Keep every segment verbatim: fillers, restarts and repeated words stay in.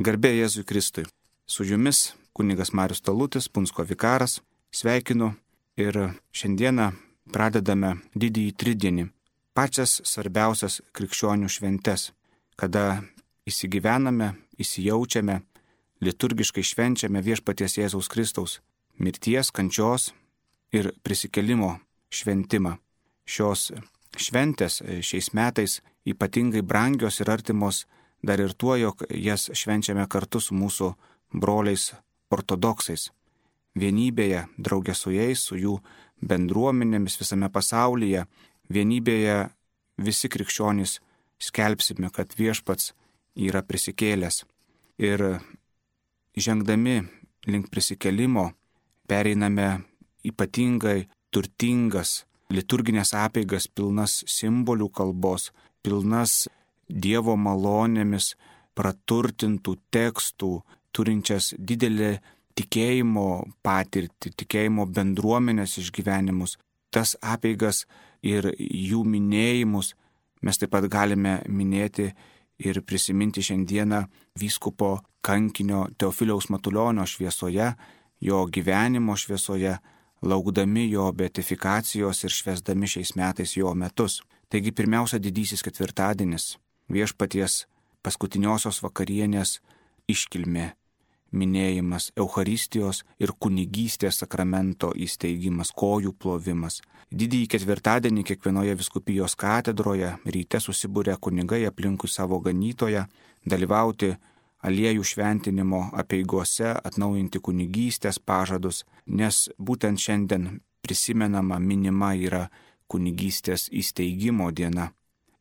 Garbė Jėzui Kristui. Su jumis kunigas Marius Talutis, Punsko vikaras. Sveikinu ir šiandieną pradedame didįjį tridienį, pačias svarbiausias krikščionių šventes, kada įsigyvename, įsijaučiame, liturgiškai švenčiame viešpaties Jėzaus Kristaus mirties, kančios ir prisikėlimo šventimą. Šios šventės šiais metais ypatingai brangios ir artimos dar ir tuo, jog jas švenčiame kartu su mūsų broliais ortodoksais. Vienybėje, draugė su jais, su jų bendruomenėmis visame pasaulyje, vienybėje visi krikščionys skelbsime, kad viešpats yra prisikėlęs. Ir žengdami link prisikėlimo pereiname ypatingai turtingas liturginės apeigas, pilnas simbolių kalbos, pilnas Dievo malonėmis praturtintų tekstų, turinčias didelį tikėjimo patirtį, tikėjimo bendruomenės išgyvenimus. Tas apeigas ir jų minėjimus mes taip pat galime minėti ir prisiminti šiandieną vyskupo kankinio Teofiliaus Matulionio šviesoje, jo gyvenimo šviesoje, laukdami jo beatifikacijos ir švęsdami šiais metais jo metus. Taigi pirmiausia didysis ketvirtadienis, viešpaties paskutiniosios vakarienės iškilmė, minėjimas, Eucharistijos ir kunigystės sakramento įsteigimas, kojų plovimas. Didįjį ketvirtadienį kiekvienoje vyskupijos katedroje ryte susibūrė kunigai aplinkui savo ganytoją, dalyvauti aliejų šventinimo apeigose, atnaujinti kunigystės pažadus, nes būtent šiandien prisimenama, minima yra kunigystės įsteigimo diena.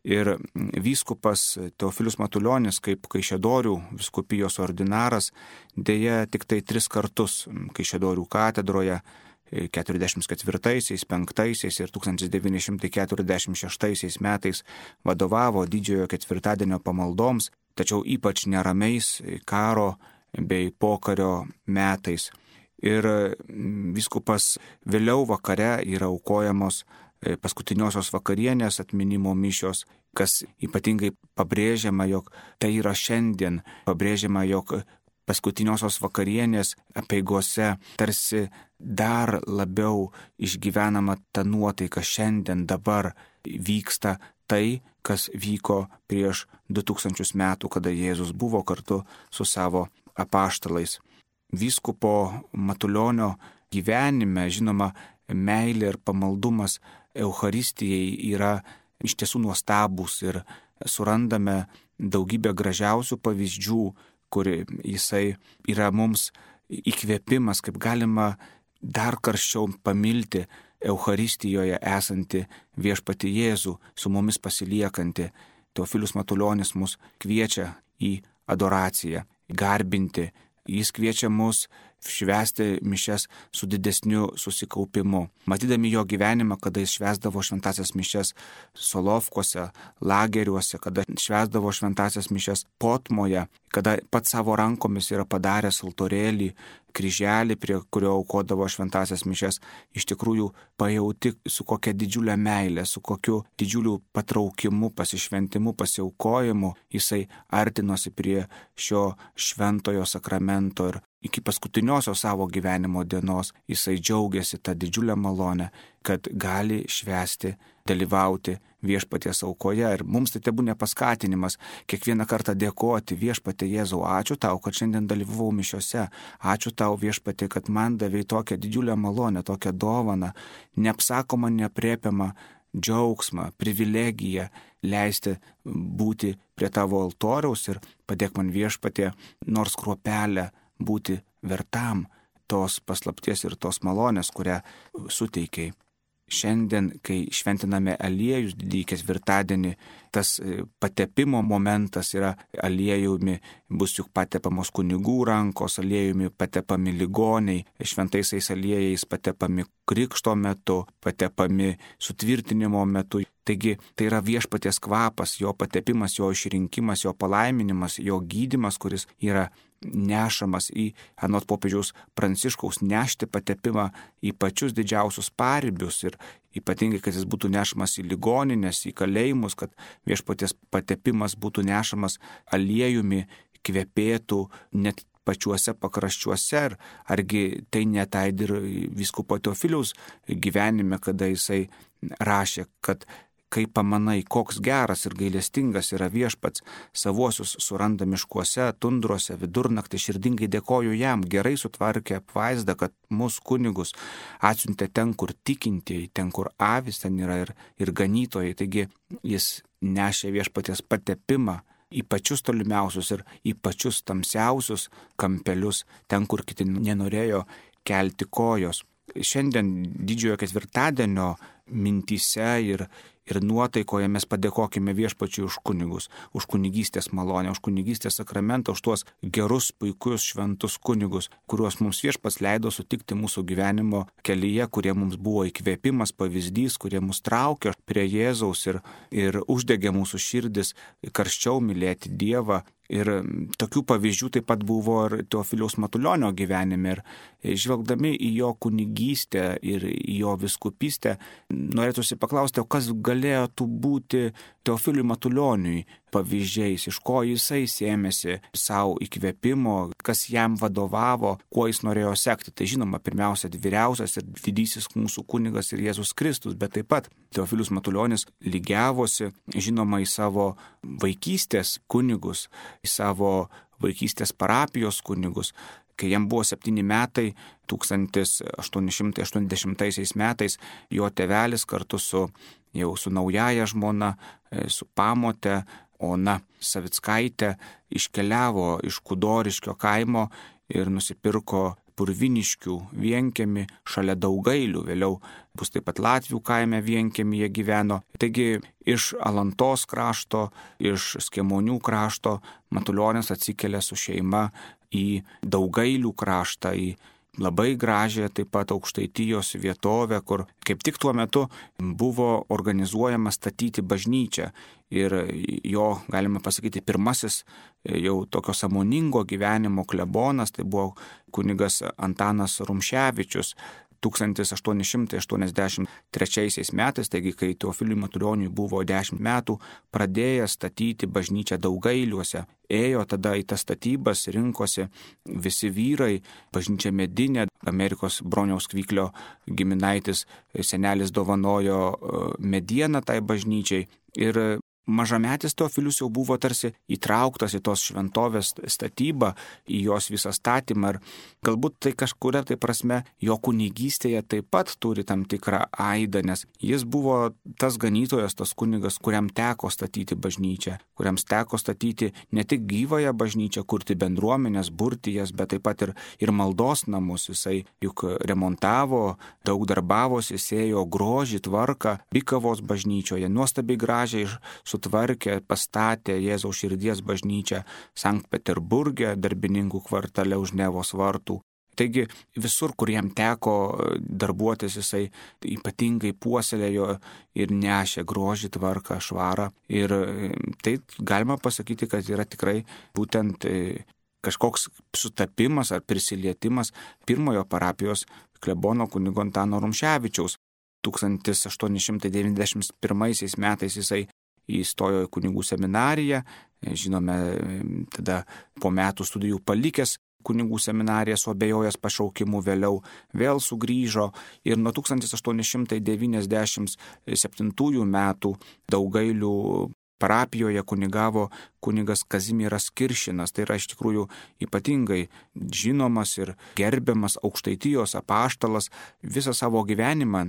Ir vyskupas Teofilius Matulionis, kaip Kaišiadorių vyskupijos ordinaras, dėja tik tai tris kartus Kaišiadorių katedroje keturiasdešimt ketvirtaisiais, penktaisiais ir tūkstantis devyni šimtai keturiasdešimt šeštaisiais metais vadovavo didžiojo ketvirtadienio pamaldoms, tačiau ypač neramiais karo bei pokario metais. Ir vyskupas vėliau vakare yra aukojamos paskutiniosios vakarienės atminimo mišios, kas ypatingai pabrėžiama, jog tai yra šiandien, pabrėžiama, jog paskutiniosios vakarienės apeigose tarsi dar labiau išgyvenama ta nuotaika, šiandien dabar vyksta tai, kas vyko prieš du tūkstančius metų, kada Jėzus buvo kartu su savo apaštalais. Vyskupo Matulionio gyvenime, žinoma, meilė ir pamaldumas Eucharistijai yra iš tiesų nuostabus ir surandame daugybę gražiausių pavyzdžių, kur jisai yra mums įkvėpimas, kaip galima dar karščiau pamilti Eucharistijoje esantį viešpatį Jėzų, su mumis pasiliekantį. Teofilius Matulionis mus kviečia į adoraciją, garbinti. Jis kviečia mus švęsti mišias su didesniu susikaupimu. Matydami jo gyvenimą, kada jis švęsdavo šventasias mišias Solovkuose, lageriuose, kada švęsdavo šventasias mišias Potmoje, kada pats savo rankomis yra padaręs altorėlį, kryželį, prie kurio aukodavo šventasias mišias, iš tikrųjų pajauti su kokia didžiulė meilė, su kokiu didžiuliu patraukimu, pasišventimu, pasiaukojimu jisai artinosi prie šio šventojo sakramento ir iki paskutiniosios savo gyvenimo dienos jisai džiaugiasi tą didžiulę malonę, kad gali švęsti, dalyvauti viešpaties aukoje. Ir mums tai tebūna paskatinimas kiekvieną kartą dėkoti viešpatie Jėzau, ačiū tau, kad šiandien dalyvavau mišiose, ačiū tau viešpatie, kad man davei tokią didžiulę malonę, tokią dovaną, neapsakomą, neaprėpiamą džiaugsmą, privilegiją leisti būti prie tavo altoriaus ir padėk man viešpatie nors kruopelę būti vertam tos paslapties ir tos malonės, kurią suteikiai. Šiandien, kai šventiname aliejus didįjį ketvirtadienį, tas patepimo momentas yra aliejumi, bus juk patepamos kunigų rankos, aliejumi patepami ligoniai, šventaisiais aliejais patepami krikšto metu, patepami sutvirtinimo metu. Taigi tai yra viešpaties kvapas, jo patepimas, jo išrinkimas, jo palaiminimas, jo gydymas, kuris yra nešamas į, anot popiežiaus Pranciškaus, nešti patepimą į pačius didžiausius paribius ir ypatingai, kad jis būtų nešamas į ligoninės, į kalėjimus, kad viešpaties patepimas būtų nešamas aliejumi kvepėtų net pačiuose pakraščiuose, ar, argi tai netaid ir vyskupo Teofiliaus gyvenime, kada jisai rašė, kad kai pamanai, koks geras ir gailestingas yra viešpats, savuosius suranda miškuose, tundruose, vidurnaktį, širdingai dėkoju jam, gerai sutvarkė apvaizdą, kad mūsų kunigus atsiuntė ten, kur tikintieji, ten, kur avis ten yra ir, ir ganytojai. Taigi jis nešė viešpaties patepimą į pačius tolimiausius ir į pačius tamsiausius kampelius, ten, kur kiti nenorėjo kelti kojos. Šiandien didžiojo ketvirtadienio mintyse ir, ir nuotaikoje mes padėkokime viešpačiui už kunigus, už kunigystės malonę, už kunigystės sakramentą, už tuos gerus, puikius, šventus kunigus, kuriuos mums viešpats leido sutikti mūsų gyvenimo kelyje, kurie mums buvo įkvėpimas, pavyzdys, kurie mus traukė prie Jėzaus ir, ir uždegė mūsų širdis karščiau mylėti Dievą. Ir tokių pavyzdžių taip pat buvo ir Teofiliaus Matulionio gyvenime. Ir žvelgdami į jo kunigystę ir į jo vyskupystę, norėtųsi paklausti, o kas galėtų būti Teofiliui Matulioniui pavyzdžiais, iš ko jisai sėmėsi savo įkvėpimo, kas jam vadovavo, kuo jis norėjo sekti. Tai žinoma, pirmiausia, vyriausias ir didysis mūsų kunigas ir Jėzus Kristus, bet taip pat Teofilius Matulionis lygiavosi, žinoma, į savo vaikystės kunigus, į savo vaikystės parapijos kunigus. Kai jam buvo septyni metai, tūkstantis aštuoni šimtai aštuoniasdešimtaisiais metais, jo tėvelis kartu su jau su naujaja žmona, su pamote Ona Savickaitė iškeliavo iš Kudoriškio kaimo ir nusipirko Purviniškių vienkiemį šalia Daugailių, vėliau bus taip pat Latvių kaime vienkiemyje gyveno. Taigi iš Alantos krašto, iš Skemonių krašto Matulionis atsikėlė su šeima į Daugailių kraštą, į labai gražią taip pat Aukštaitijos vietovę, kur kaip tik tuo metu buvo organizuojama statyti bažnyčią. Ir jo, galime pasakyti, pirmasis jau tokio sąmoningo gyvenimo klebonas, tai buvo kunigas Antanas Rumševičius. tūkstantis aštuoni šimtai aštuoniasdešimt trečiaisiais metais, taigi kai Teofiliui Matulioniui buvo dešimt metų, pradėjęs statyti bažnyčią Daugailiuose. Ėjo tada į tas statybas, rinkosi visi vyrai, bažnyčia medinė, Amerikos Broniaus Kvyklio giminaitis senelis dovanojo medieną tai bažnyčiai. Ir mažametis Teofilius jau buvo tarsi įtrauktas į tos šventovės statybą, į jos visą statymą. Ir galbūt tai kažkuria tai prasme jo kunigystėje taip pat turi tam tikrą aidą, nes jis buvo tas ganytojas, tas kunigas, kuriam teko statyti bažnyčią, kuriam teko statyti ne tik gyvąją bažnyčią, kurti bendruomenės, burti jas, bet taip pat ir, ir maldos namus. Jisai juk remontavo, daug darbavosi, sėjo grožį, tvarką, Bikavos bažnyčioje, nuostabiai gražiai sutvarkė, pastatė Jėzaus širdies bažnyčią Sankt Peterburge, darbininkų kvartale už Nevos vartų. Taigi visur, kur jam teko darbuotis, jisai ypatingai puoselėjo ir nešė grožį, tvarką, švarą. Ir tai galima pasakyti, kad yra tikrai būtent kažkoks sutapimas ar prisilietimas pirmojo parapijos klebono kunigo Antano Rumševičiaus. tūkstantis aštuoni šimtai devyniasdešimt pirmaisiais metais jisai įstojo į kunigų seminariją, žinome, tada po metų studijų palikęs kunigų seminariją, suabejojęs pašaukimu, vėliau vėl sugrįžo ir nuo tūkstantis aštuoni šimtai devyniasdešimt septintųjų metų Daugailių parapijoje kunigavo kunigas Kazimieras Kiršinas. Tai yra iš tikrųjų ypatingai žinomas ir gerbiamas Aukštaitijos apaštalas, visą savo gyvenimą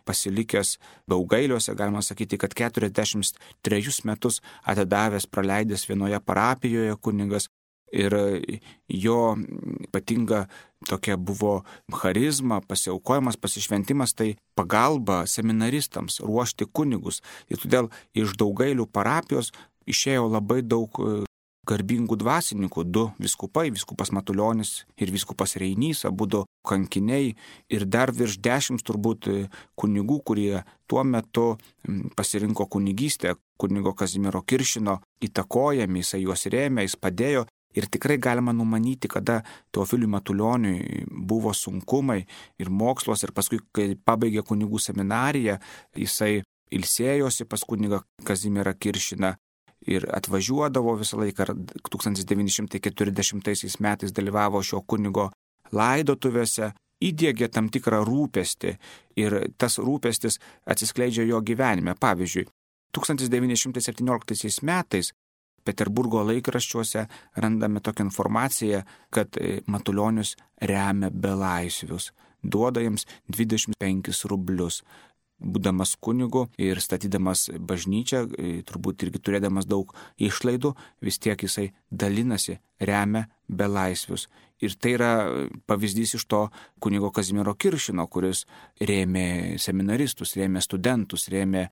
pasilikęs Daugailiuose, galima sakyti, kad keturiasdešimt trejus metus atidavęs, praleidęs vienoje parapijoje kunigas. Ir jo ypatinga tokia buvo charizma, pasiaukojimas, pasišventimas, tai pagalba seminaristams ruošti kunigus. Ir todėl iš Daugailių parapijos išėjo labai daug garbingų dvasininkų, du vyskupai, vyskupas Matulionis ir vyskupas Reinys, abudu kankiniai ir dar virš dešimt turbūt kunigų, kurie tuo metu pasirinko kunigystę, kunigo Kazimiero Kiršino įtakojami, jisai juos rėmė, jis padėjo. Ir tikrai galima numanyti, kada Teofiliui Matulioniui buvo sunkumai ir mokslos, ir paskui, kai pabaigė kunigų seminariją, jisai ilsėjosi pas kunigą Kazimierą Kiršiną. ir atvažiuodavo visą laiką. tūkstantis devyni šimtai keturiasdešimtaisiais metais dalyvavo šio kunigo laidotuvėse, įdiegė tam tikrą rūpestį ir tas rūpestis atsiskleidžia jo gyvenime. Pavyzdžiui, tūkstantis devyni šimtai septynioliktaisiais metais Peterburgo laikraščiuose randame tokią informaciją, kad Matulionis remia belaisvius, duoda jiems dvidešimt penkis rublius. Būdamas kunigu ir statydamas bažnyčią, turbūt irgi turėdamas daug išlaidų, vis tiek jisai dalinasi, remia belaisvius. Ir tai yra pavyzdys iš to kunigo Kazimiero Kiršino, kuris rėmė seminaristus, rėmė studentus, rėmė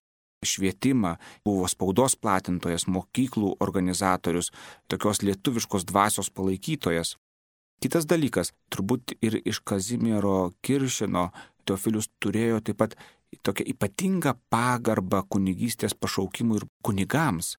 švietimą, buvo spaudos platintojas, mokyklų organizatorius, tokios lietuviškos dvasios palaikytojas. Kitas dalykas, turbūt ir iš Kazimiero Kiršino Teofilius turėjo taip pat tokią ypatingą pagarbą kunigystės pašaukimui ir kunigams.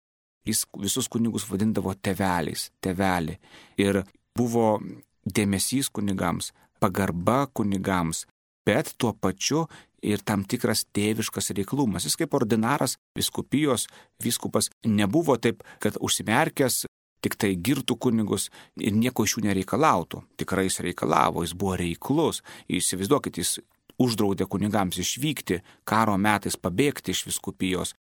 Jis visus kunigus vadindavo tėveliais, tėvelį. Ir buvo dėmesys kunigams, pagarba kunigams, bet tuo pačiu ir tam tikras tėviškas reiklumas. Jis kaip ordinaras, vyskupijos vyskupas nebuvo taip, kad užsimerkęs tik tai girtų kunigus ir nieko iš jų nereikalautų. Tikrai jis reikalavo, jis buvo reiklus. Įsivaizduokit, jis uždraudė kunigams išvykti, karo metais pabėgti iš vyskupijos.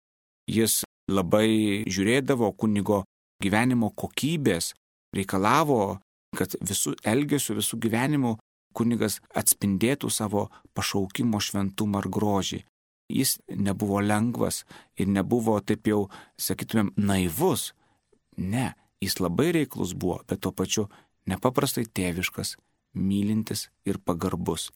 Jis labai žiūrėdavo kunigo gyvenimo kokybės, reikalavo, kad visų elgesių, visų gyvenimų kunigas atspindėtų savo pašaukimo šventumą ar grožį. Jis nebuvo lengvas ir nebuvo taip jau, sakytumėm, naivus. Ne, jis labai reiklus buvo, bet tuo pačiu nepaprastai tėviškas, mylintis ir pagarbus.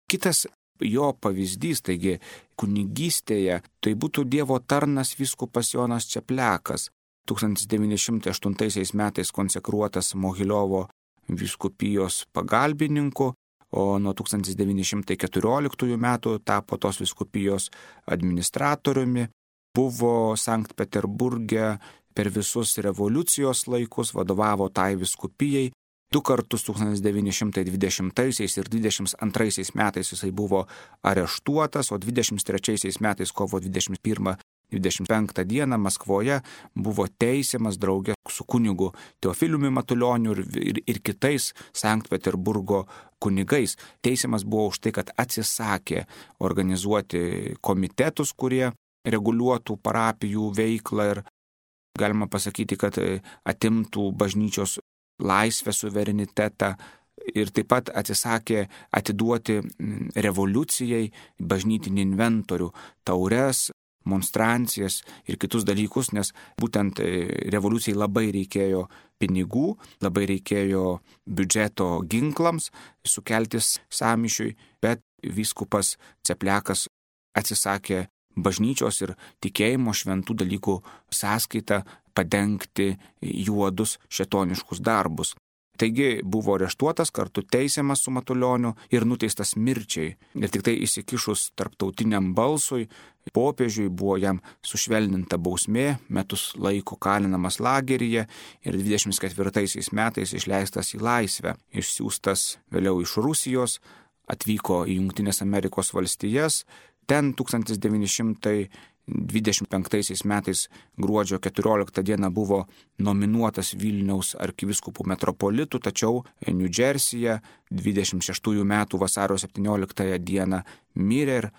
Kitas jo pavyzdys, taigi kunigystėje, tai būtų Dievo tarnas vyskupas Jonas Čepliakas, tūkstantis devyni šimtai aštuntaisiais metais konsekruotas Mogiliovo vyskupijos pagalbininku, o nuo tūkstantis devyni šimtai keturioliktųjų metų tapo tos vyskupijos administratoriumi, buvo Sankt Peterburge per visus revoliucijos laikus, vadovavo tai vyskupijai. Du kartus tūkstantis devyni šimtai dvidešimtaisiais ir dvidešimt antraisiais metais jisai buvo areštuotas, o dvidešimt trečiaisiais metais kovo dvidešimt pirmą dvidešimt penktą dieną Maskvoje buvo teisiamas draugė su kunigu Teofiliumi Matulioniu ir, ir, ir kitais Sankt Peterburgo kunigais. Teisiamas buvo už tai, kad atsisakė organizuoti komitetus, kurie reguliuotų parapijų veiklą ir galima pasakyti, kad atimtų bažnyčios laisvę, suverenitetą ir taip pat atsisakė atiduoti revoliucijai bažnytinį inventorių, taures, monstrancijas ir kitus dalykus, nes būtent revoliucijai labai reikėjo pinigų, labai reikėjo biudžeto ginklams sukeltis sąmyšiui, bet vyskupas Čepliakas atsisakė bažnyčios ir tikėjimo šventų dalykų sąskaitą padengti juodus šėtoniškus darbus. Taigi buvo areštuotas, kartu teisiamas su Matulioniu ir nuteistas mirčiai. Ir tik tai įsikišus tarptautiniam balsui, popiežiui buvo jam sušvelninta bausmė, metus laiko kalinamas lageryje ir dvidešimt ketvirtaisiais metais išleistas į laisvę. Išsiųstas vėliau iš Rusijos, atvyko į Jungtines Amerikos valstijas. Ten tūkstantis devyni šimtai dvidešimt penktaisiais metais gruodžio keturioliktą dieną buvo nominuotas Vilniaus arkivyskupų metropolitų, tačiau New Jersey'e dvidešimt šeštųjų metų vasario septynioliktąją dieną mirė ir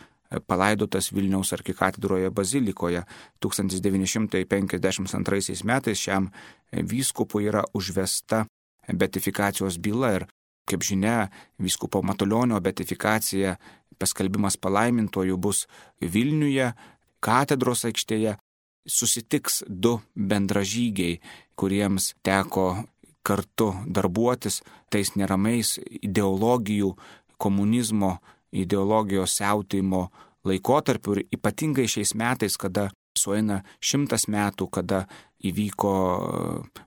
palaidotas Vilniaus arkikatedroje bazilikoje. tūkstantis devyni šimtai penkiasdešimt antraisiais metais šiam vyskupui yra užvesta beatifikacijos byla ir, kaip žinia, vyskupo Matulionio beatifikacija, paskelbimas palaimintojų bus Vilniuje, katedros aikštėje. Susitiks du bendražygiai, kuriems teko kartu darbuotis tais neramiais ideologijų, komunizmo ideologijos siautėjimo laikotarpiu ir ypatingai šiais metais, kada sueina šimtas metų, kada įvyko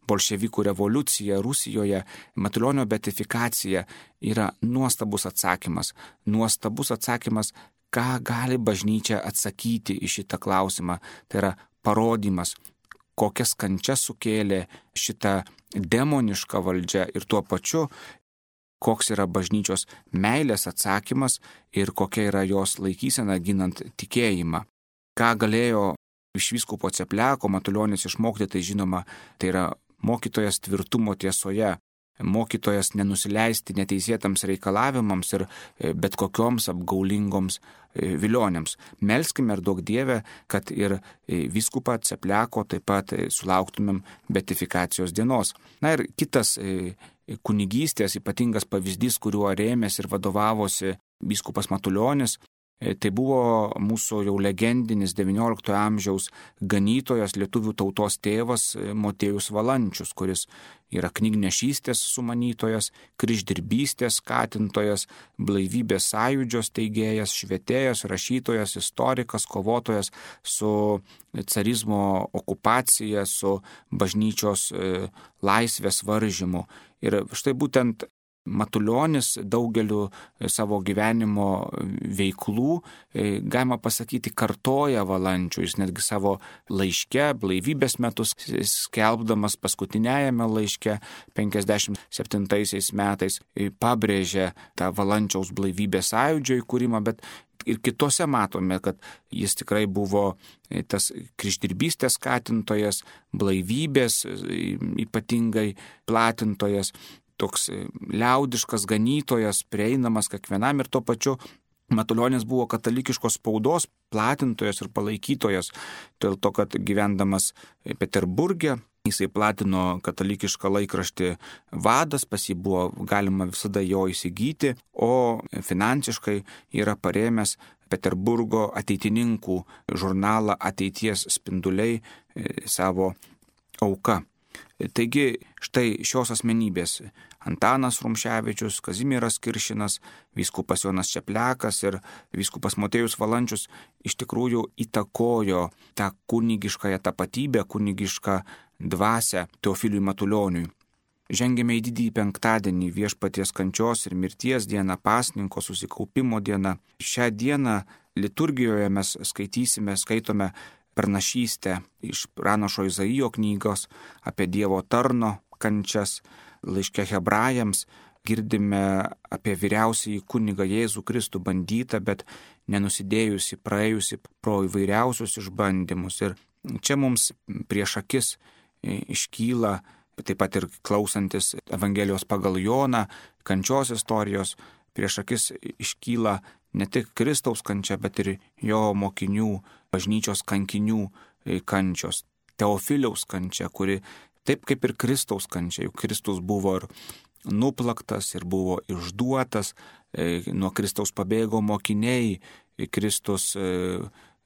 bolševikų revoliucija Rusijoje, Matulionio beatifikacija yra nuostabus atsakymas. Nuostabus atsakymas, ką gali bažnyčia atsakyti į šitą klausimą. Tai yra parodymas, kokias kančias sukėlė šita demoniška valdžia ir tuo pačiu, koks yra bažnyčios meilės atsakymas ir kokia yra jos laikysena ginant tikėjimą. Ką galėjo iš vyskupo Cepliako Matulionis išmokti, tai žinoma, tai yra mokytojas tvirtumo tiesoje, mokytojas nenusileisti neteisėtams reikalavimams ir bet kokioms apgaulingoms vilionėms. Melskime ir duok Dieve, kad ir vyskupą Cepliako taip pat sulauktumėm beatifikacijos dienos. Na ir kitas kunigystės ypatingas pavyzdys, kuriuo rėmėsi ir vadovavosi vyskupas Matulionis, tai buvo mūsų jau legendinis devynioliktojo amžiaus ganytojas, lietuvių tautos tėvas Motiejus Valančius, kuris yra knygnešystės sumanytojas, kryždirbystės skatintojas, blaivybės sąjūdžio steigėjas, švietėjas, rašytojas, istorikas, kovotojas su carizmo okupacija, su bažnyčios laisvės varžymu. Ir štai būtent Matulionis daugeliu savo gyvenimo veiklų, galima pasakyti, kartoja Valančių. Jis netgi savo laiške, blaivybės metus skelbdamas paskutiniajame laiške penkiasdešimt septintaisiais metais pabrėžė tą Valančiaus blaivybės sąjūdžio įkūrimą, bet ir kitose matome, kad jis tikrai buvo tas kryždirbystės skatintojas, blaivybės ypatingai platintojas, toks liaudiškas ganytojas, prieinamas kiekvienam ir tuo pačiu Matulionis buvo katalikiškos spaudos platintojas ir palaikytojas, dėl to, kad gyvendamas Peterburge jisai platino katalikišką laikraštį Vadas, pas jį buvo galima visada jo įsigyti, o finansiškai yra parėmęs Peterburgo ateitininkų žurnalą Ateities spinduliai savo auka. Taigi štai šios asmenybės Antanas Rumševičius, Kazimieras Kiršinas, vyskupas Jonas Čepliakas ir vyskupas Motiejus Valančius iš tikrųjų įtakojo tą kunigiškąją tapatybę, kunigišką dvasią Teofiliui Matulioniui. Žengėme į didįjį penktadienį, Viešpaties kančios ir mirties dieną, pasninko susikaupimo dieną. Šią dieną liturgijoje mes skaitysime, skaitome pranašystę iš pranašo Izaijo knygos apie Dievo tarno kančias. Laiške Hebrajams girdime apie vyriausiąjį kunigą Jėzų Kristų bandytą, bet nenusidėjusi, praėjusi pro įvairiausius išbandymus. Ir čia mums prieš akis iškyla, taip pat ir klausantis Evangelijos pagal Joną, kančios istorijos, prieš akis iškyla ne tik Kristaus kančia, bet ir jo mokinių, bažnyčios kankinių kančios. Teofiliaus kančia, kuri taip kaip ir Kristaus kančia, juk Kristus buvo ir nuplaktas, ir buvo išduotas, nuo Kristaus pabėgo mokiniai, Kristus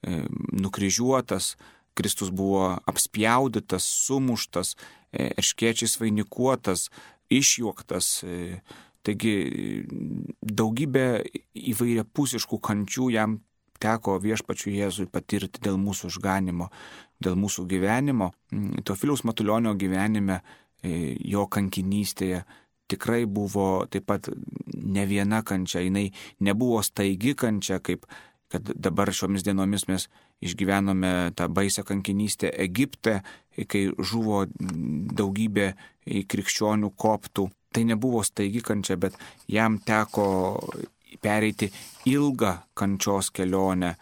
nukryžiuotas, Kristus buvo apspjaudytas, sumuštas, erškėčiais vainikuotas, išjuoktas. Taigi daugybė įvairiapusiškų kančių jam teko Viešpačiui Jėzui patirti dėl mūsų išganimo, dėl mūsų gyvenimo. Teofiliaus Matulionio gyvenime, jo kankinystėje tikrai buvo taip pat ne viena kančia, jinai nebuvo staigi kančia, kaip kad dabar šiomis dienomis mes išgyvenome tą baisią kankinystę Egipte, kai žuvo daugybė krikščionių koptų. Tai nebuvo staigi kančia, bet jam teko pereiti ilgą kančios kelionę,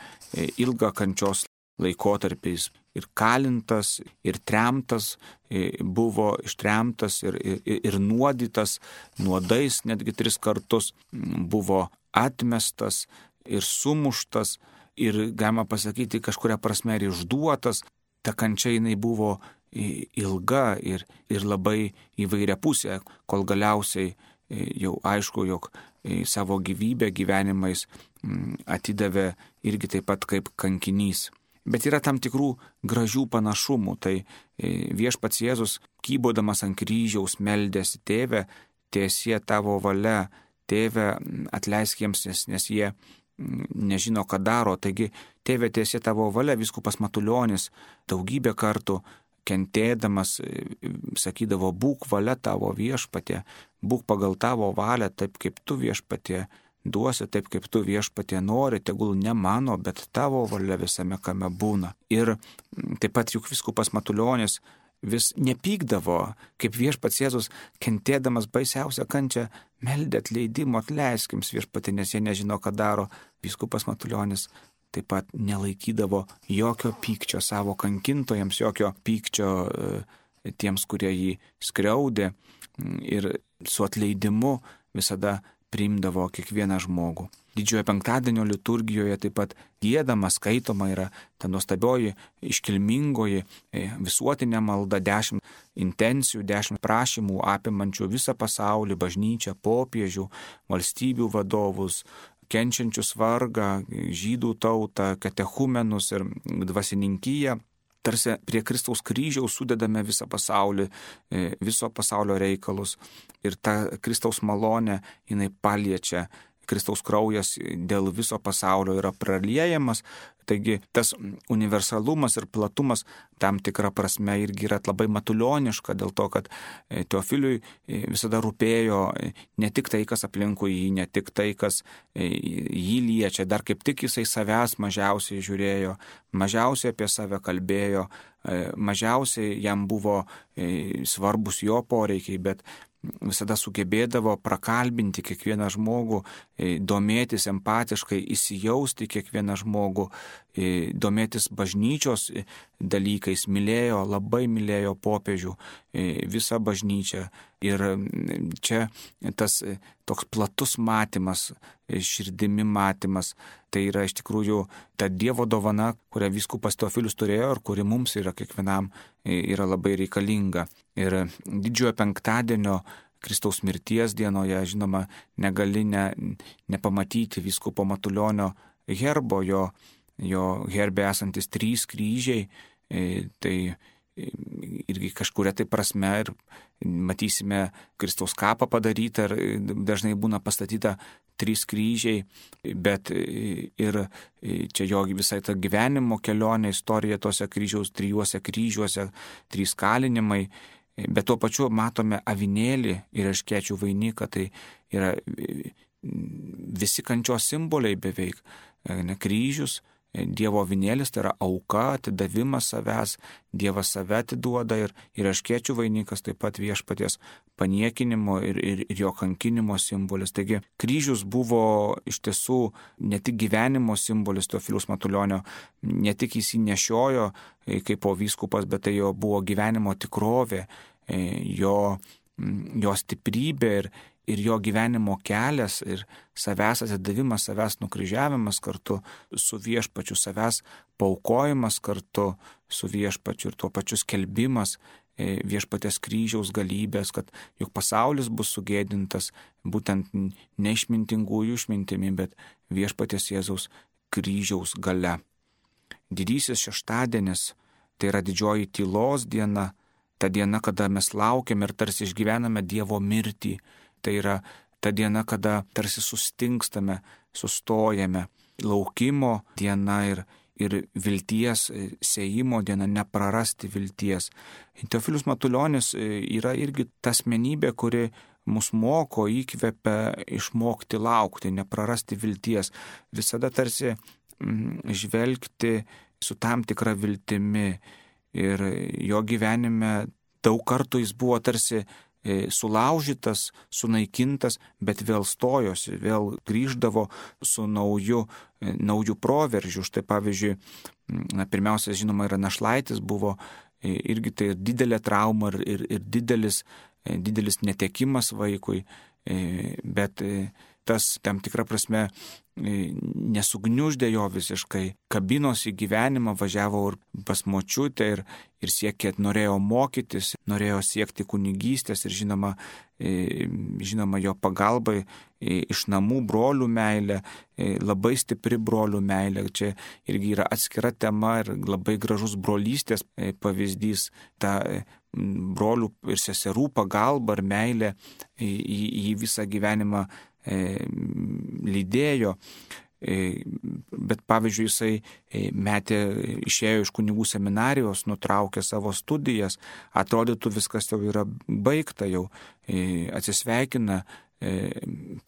ilgą kančios laikotarpiais. Ir kalintas, ir tremtas, buvo ištremtas ir, ir, ir nuodytas, nuodais netgi tris kartus, buvo atmestas ir sumuštas ir, galima pasakyti, kažkuria prasme ir išduotas. Ta kančia jinai buvo ilga ir, ir labai įvairiapusė, kol galiausiai jau aišku, jog savo gyvybę gyvenimais atidavė irgi taip pat kaip kankinys. Bet yra tam tikrų gražių panašumų. Tai Viešpats Jėzus, kybodamas ant kryžiaus, meldėsi: Tėve, tiesie tavo valia, Tėve, atleisk jiems, nes, nes jie nežino, ką daro. Taigi, Tėve, tiesie tavo valia, vyskupas Matulionis daugybę kartų kentėdamas sakydavo: būk valia tavo, Viešpatie, būk pagal tavo valią, taip kaip tu, Viešpatie, duosi, taip kaip tu, Viešpatie, nori, tegul ne mano, bet tavo valia visame kame būna. Ir taip pat juk vyskupas Matulionis vis nepykdavo, kaip Viešpats Jėzus, kentėdamas baisiausią kančią, meldė atleidimo: atleisk jiems, Viešpatie, nes jie nežino, ką daro. Vyskupas Matulionis taip pat nelaikydavo jokio pykčio savo kankintojams, jokio pykčio tiems, kurie jį skriaudė, ir su atleidimu visada priimdavo kiekvieną žmogų. Didžiojo penktadienio liturgijoje taip pat giedama, skaitoma yra ta nuostabioji, iškilmingoji visuotinė malda, dešimt intencijų, dešimt prašymų apimančių visą pasaulį, bažnyčią, popiežių, valstybių vadovus, kenčiančius vargą, žydų tautą, katechumenus ir dvasininkiją. Tarsi prie Kristaus kryžiaus sudedame visą pasaulį, viso pasaulio reikalus, ir ta Kristaus malonė, jinai paliečia. Kristaus kraujas dėl viso pasaulio yra praliejamas, taigi tas universalumas ir platumas tam tikrą prasme irgi yra labai matulioniška, dėl to, kad Teofiliui visada rūpėjo ne tik tai, kas aplinkui jį, ne tik tai, kas jį liečia, dar kaip tik jisai savęs mažiausiai žiūrėjo, mažiausiai apie save kalbėjo, mažiausiai jam buvo svarbus jo poreikiai, bet visada sugebėdavo prakalbinti kiekvieną žmogų, domėtis empatiškai, įsijausti kiekvieną žmogų, domėtis bažnyčios dalykais, mylėjo, labai mylėjo popiežių, visą bažnyčią. Ir čia tas toks platus matymas, širdimi matymas, tai yra iš tikrųjų ta Dievo dovana, kurią vyskupas Teofilius turėjo ir kuri mums yra kiekvienam yra labai reikalinga. Ir didžiojo penktadienio Kristaus mirties dienoje, žinoma, negali ne, nepamatyti vyskupo Matulionio herbo, jo, jo herbe esantis trys kryžiai, tai irgi kažkuria tai prasme ir matysime Kristaus kapą padarytą ir dažnai būna pastatyta trys kryžiai, bet ir čia jo visai ta gyvenimo kelionė, istorija tose kryžiaus, trijuose kryžiuose, trys kalinimai, bet tuo pačiu matome avinėlį ir erškėčių vainiką, tai yra visi kančios simboliai beveik, ne, kryžius, Dievo avinėlis, tai yra auka, atidavimas savęs, Dievas save atiduoda, ir, ir erškėčių vainikas taip pat viešpaties paniekinimo ir, ir, ir jo kankinimo simbolis. Taigi kryžius buvo iš tiesų ne tik gyvenimo simbolis Teofiliaus Matulionio, ne tik jis jį nešiojo kaip po vyskupas, bet tai jo buvo gyvenimo tikrovė, jo, jo stiprybė ir ir jo gyvenimo kelias ir savęs atidavimas, savęs nukryžiavimas kartu su viešpačiu, savęs paaukojimas kartu su viešpačiu ir tuo pačiu skelbimas viešpatės kryžiaus galybės, kad juk pasaulis bus sugėdintas būtent neišmintingųjų išmintimi, bet viešpatės Jėzaus kryžiaus gale. Didysis šeštadienis, tai yra didžioji tylos diena, ta diena, kada mes laukiam ir tarsi išgyvename Dievo mirtį. Tai yra ta diena, kada tarsi sustingstame, sustojame, laukimo diena ir, ir vilties sėjimo diena, neprarasti vilties. Teofilius Matulionis yra irgi ta asmenybė, kuri mus moko, įkvepia išmokti laukti, neprarasti vilties, visada tarsi mm, žvelgti su tam tikra viltimi. Ir jo gyvenime daug kartų jis buvo tarsi sulaužytas, sunaikintas, bet vėl stojosi, vėl grįždavo su nauju, nauju proveržiu. Štai pavyzdžiui, na, pirmiausia, žinoma, yra našlaitis, buvo irgi tai didelė trauma ir, ir, ir didelis, didelis netekimas vaikui, bet tas tam tikrą prasme nesugniuždė jo visiškai, kabinosi į gyvenimą, važiavo ir pas močiutę ir, ir siekė, norėjo mokytis, norėjo siekti kunigystės ir žinoma, žinoma jo pagalbai iš namų brolių meilė, labai stipri brolių meilė. Čia irgi yra atskira tema ir labai gražus brolystės pavyzdys, ta brolių ir seserų pagalba ir meilė į, į visą gyvenimą lydėjo, bet pavyzdžiui jisai metė, išėjo iš kunigų seminarijos, nutraukė savo studijas, atrodytų viskas jau yra baigta, jau atsisveikina,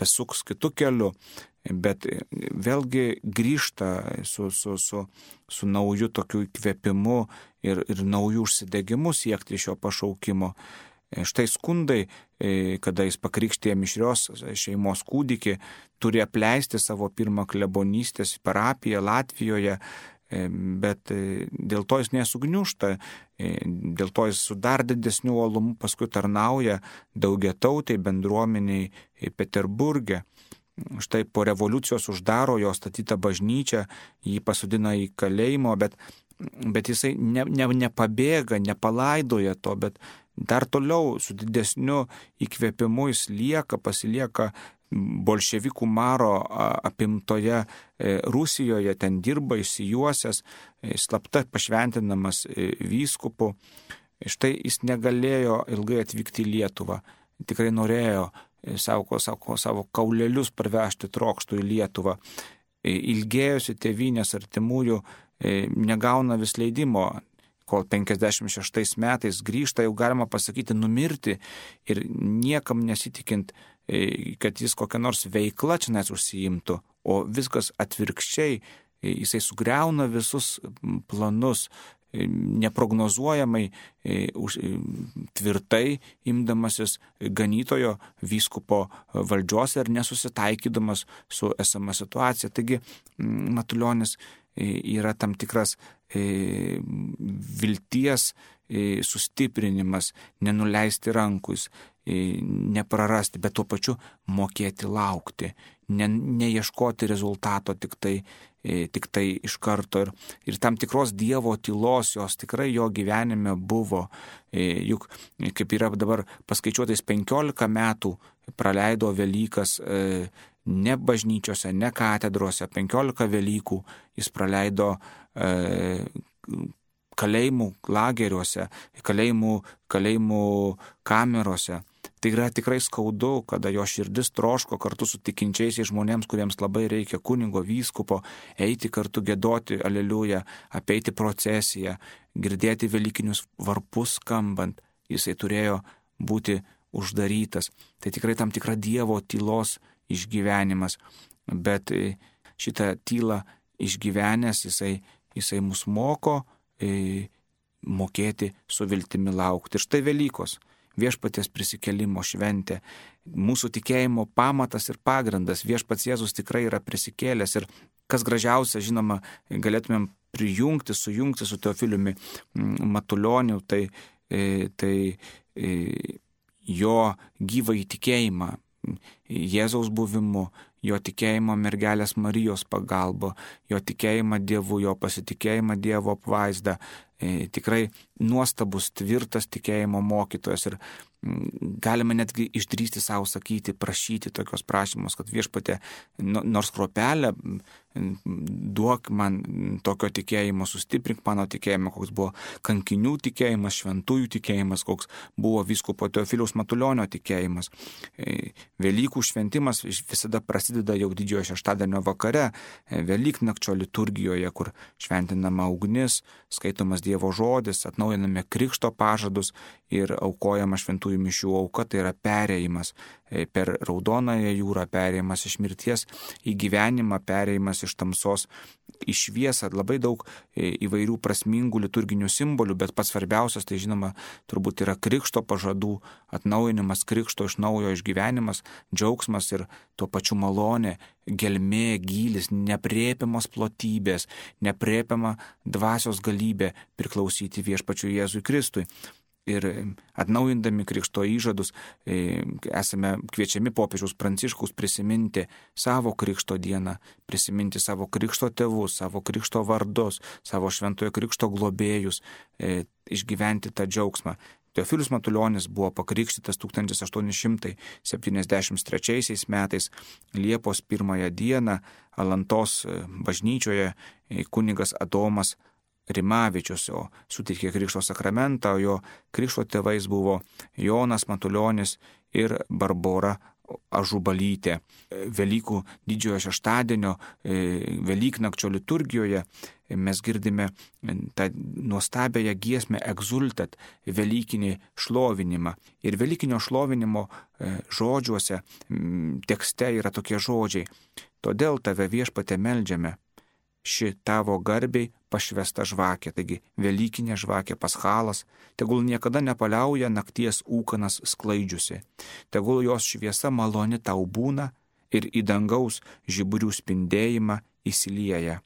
pasuks kitų kelių, bet vėlgi grįžta su, su, su, su nauju tokiu įkvėpimu ir, ir nauju užsidegimu siekti šio pašaukimo. Štai skundai, kada jis pakrikštė mišrios šeimos kūdikį, turi apleisti savo pirmą klebonystės parapiją Latvijoje, bet dėl to jis nesugniužta, dėl to jis su dar didesniu uolumu paskui tarnauja daugiatautei bendruomeniai Peterburge. Štai po revoliucijos uždaro jo statytą bažnyčią, jį pasodina į kalėjimo, bet, bet jisai ne, ne, nepabėga, nepalaidoja to, bet dar toliau su didesniu įkvėpimu jis lieka, pasilieka bolševikų maro apimtoje Rusijoje, ten dirba išsijuosęs, slapta pašventinamas vyskupu. Štai jis negalėjo ilgai atvykti į Lietuvą, tikrai norėjo savo, savo, savo kaulelius parvežti trokštų į Lietuvą. Ilgėjosi tėvynės artimųjų, negauna vis leidimo, kol penkiasdešimt šeštais metais grįžta, jau galima pasakyti, numirti ir niekam nesitikint, kad jis kokią nors veiklą čia nes užsiimtų, o viskas atvirkščiai, jisai sugriauna visus planus, neprognozuojamai, tvirtai imdamasis ganytojo vyskupo valdžios ir nesusitaikydamas su esama situacija. Taigi Matulionis yra tam tikras vilties sustiprinimas, nenuleisti rankus, neprarasti, bet tuo pačiu mokėti laukti, ne, neieškoti rezultato tik tai, tik tai iš karto. Ir, ir tam tikros Dievo tylos jos tikrai jo gyvenime buvo. Juk kaip yra dabar paskaičiuotais penkiolika metų praleido Velykas ne bažnyčiose, ne katedrose, penkiolika Velykų jis praleido e, kalėjimų lageriuose, kalėjimų, kalėjimų kamerose. Tai yra tikrai skaudu, kada jo širdis troško kartu su tikinčiaisiais žmonėms, kuriems labai reikia kunigo, vyskupo, eiti kartu giedoti aleliuja, apeiti procesiją, girdėti velykinius varpus skambant. Jisai turėjo būti uždarytas. Tai tikrai tam tikra Dievo tylos išgyvenimas. Bet šitą tylą išgyvenęs jisai, jisai mus moko e, mokėti su viltimi laukti. Ir štai Velykos, viešpaties prisikėlimo šventė, mūsų tikėjimo pamatas ir pagrindas. Viešpats Jėzus tikrai yra prisikėlęs ir kas gražiausia, žinoma, galėtumėm prijungti, sujungti su Teofiliumi Matulioniu, tai, tai jo gyvą įtikėjimą Jėzaus buvimu, jo tikėjimą mergelės Marijos pagalba, jo tikėjimą Dievu, jo pasitikėjimą Dievo apvaizdą. E, tikrai nuostabus, tvirtas tikėjimo mokytojas ir m, galime netgi išdrįsti savo sakyti, prašyti tokios prašymus, kad viešpatie nors kruopelę duok man tokio tikėjimo, sustiprink mano tikėjimą, koks buvo kankinių tikėjimas, šventųjų tikėjimas, koks buvo vyskupo Teofiliaus Matulionio tikėjimas. E, Velykų šventimas visada prasideda jau didžiojo šeštadienio vakare, Velyknakčio liturgijoje, kur šventinama ugnis, skaitomas Dievo žodis, atnaujiname krikšto pažadus ir aukojama šventųjų mišių auka, tai yra perėjimas per Raudonąją jūrą, perėjimas iš mirties į gyvenimą, perėjimas iš tamsos į šviesą. Labai daug įvairių prasmingų liturginių simbolių, bet pats svarbiausias, tai žinoma, turbūt yra krikšto pažadų atnaujinimas, krikšto iš naujo išgyvenimas, džiaugsmas ir tuo pačiu malonė, gelmė, gylis, nepriepiamos plotybės, nepriepiama dvasios galybė priklausyti viešpačiui Jėzui Kristui. Ir atnaujindami krikšto įžadus esame kviečiami popiežiaus Pranciškaus prisiminti savo krikšto dieną, prisiminti savo krikšto tėvus, savo krikšto vardus, savo šventojo krikšto globėjus, išgyventi tą džiaugsmą. Teofilius Matulionis buvo pakrikštytas tūkstantis aštuoni šimtai septyniasdešimt trečiaisiais metais Liepos pirmąją dieną Alantos bažnyčioje kunigas Adomas Rimavičius, o suteikė krikšto sakramentą, o jo krikšto tėvais buvo Jonas Matulionis ir Barbora Ažubalytė. Velykų didžiojo šeštadienio, Velyknakčio liturgijoje mes girdime tą nuostabiąją giesmę Exultat, velykinį šlovinimą. Ir velykinio šlovinimo žodžiuose, tekste yra tokie žodžiai: todėl tave viešpatie meldžiame, ši tavo garbiai pašvesta žvakė, taigi Velykinė žvakė paschalas, tegul niekada nepaliauja nakties ūkanas sklaidžiusi, tegul jos šviesa maloni tau būna ir į dangaus žiburių spindėjimą įsilieja.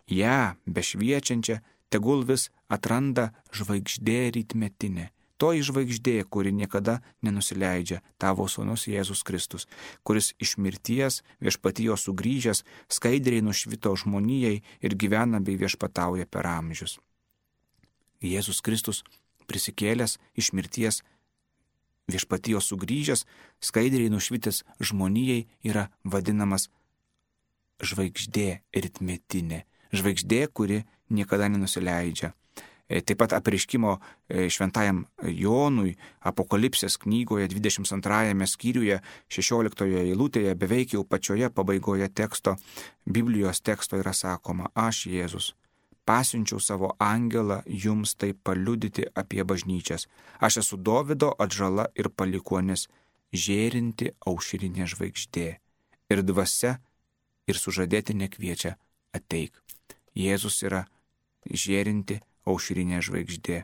Ja, bešviečiančią, tegul vis atranda žvaigždė rytmetinė. Toji žvaigždė, kuri niekada nenusileidžia, tavo sūnus Jėzus Kristus, kuris iš mirties viešpatijos sugrįžęs skaidriai nušvito žmonijai ir gyvena bei viešpatauja per amžius. Jėzus Kristus prisikėlęs iš mirties viešpatijos sugrįžęs, skaidriai nušvitęs žmonijai yra vadinamas žvaigždė rytmetinė. Žvaigždė, kuri niekada nenusileidžia. Taip pat apreiškimo šventajam Jonui Apokalipsės knygoje dvidešimt antrajame skyriuje šešioliktoje eilutėje beveik jau pačioje pabaigoje teksto, Biblijos teksto yra sakoma: Aš Jėzus pasiunčiau savo angelą jums tai paliudyti apie bažnyčias. Aš esu Dovido atžala ir palikuonis, žėrinti aušrinė žvaigždė. Ir dvasia ir sužadėtinė kviečia: ateik. Jėzus yra žėrinti aušrinė žvaigždė.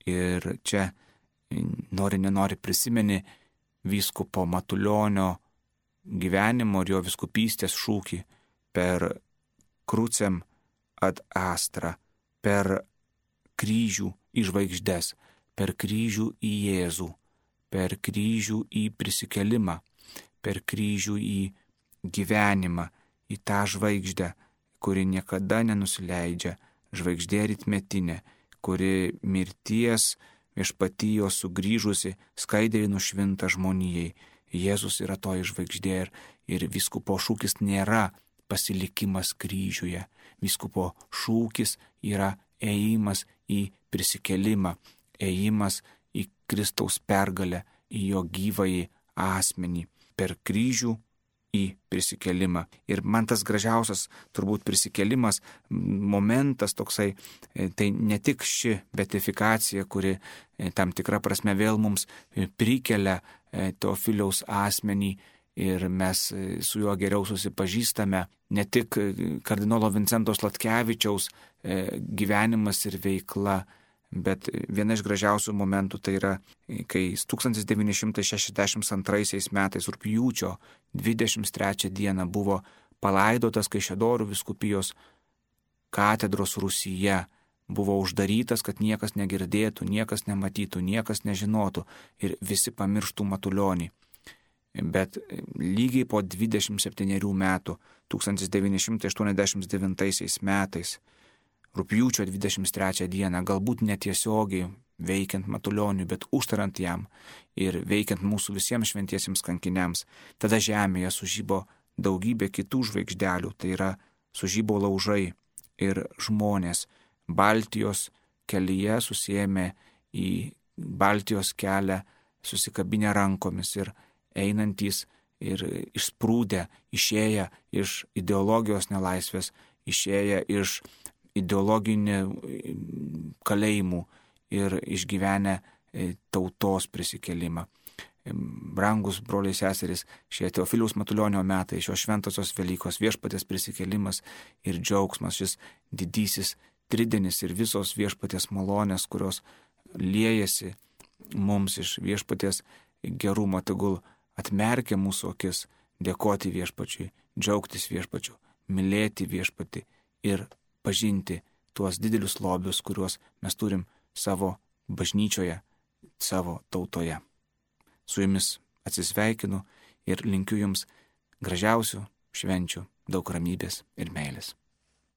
Ir čia nori nenori prisimeni vyskupo Matulionio gyvenimo ir jo vyskupystės šūkį per krucem ad astra, per kryžių į žvaigždes, per kryžių į Jėzų, per kryžių į prisikelimą, per kryžių į gyvenimą, į tą žvaigždę, kuri niekada nenusileidžia, žvaigždė rytmetinė, kuri mirties viešpatijos sugrįžusi skaidriai nušvinta žmonijai. Jėzus yra toji žvaigždė ir, ir vyskupo šūkis nėra pasilikimas kryžiuje. Vyskupo šūkis yra ėjimas į prisikelimą, ėjimas į Kristaus pergalę, į jo gyvąjį asmenį per kryžių į prisikelimą. Ir man tas gražiausias turbūt prisikelimas momentas toksai, tai ne tik ši beatifikacija, kuri tam tikra prasme vėl mums prikelia Teofiliaus asmenį ir mes su juo geriau susipažįstame, ne tik kardinolo Vincento Sladkevičiaus gyvenimas ir veikla, bet viena iš gražiausių momentų tai yra, kai tūkstantis devyni šimtai šešiasdešimt antraisiais metais rugpjūčio dvidešimt trečią dieną buvo palaidotas Kaišiadorių vyskupijos katedros rūsyje, buvo uždarytas, kad niekas negirdėtų, niekas nematytų, niekas nežinotų ir visi pamirštų Matulionį. Bet lygiai po dvidešimt septynerių metų, tūkstantis devyni šimtai aštuoniasdešimt devintaisiais metais, rugpjūčio dvidešimt trečią dieną, galbūt netiesiogiai veikiant Matulioniui, bet užtarant jam ir veikiant mūsų visiems šventiesiems kankiniams, tada žemėje sužybo daugybė kitų žvaigždelių, tai yra sužybo laužai ir žmonės Baltijos kelyje susiėmė į Baltijos kelią, susikabinę rankomis ir einantys ir išsprūdę, išėję iš ideologijos nelaisvės, išėję iš ideologinių kalėjimų ir išgyvenę tautos prisikelimą. Brangus broliai seserys, šie Teofiliaus Matulionio metai, šios šventosios Velykos, viešpaties prisikėlimas ir džiaugsmas, šis didysis tridenis ir visos viešpaties malonės, kurios liejasi mums iš viešpaties gerumo, tegul atmerkia mūsų akis, dėkoti viešpačiui, džiaugtis viešpačiu, mylėti viešpatį ir pažinti tuos didelius lobius, kuriuos mes turim savo bažnyčioje, savo tautoje. Su jumis atsisveikinu ir linkiu jums gražiausių švenčių, daug ramybės ir meilės.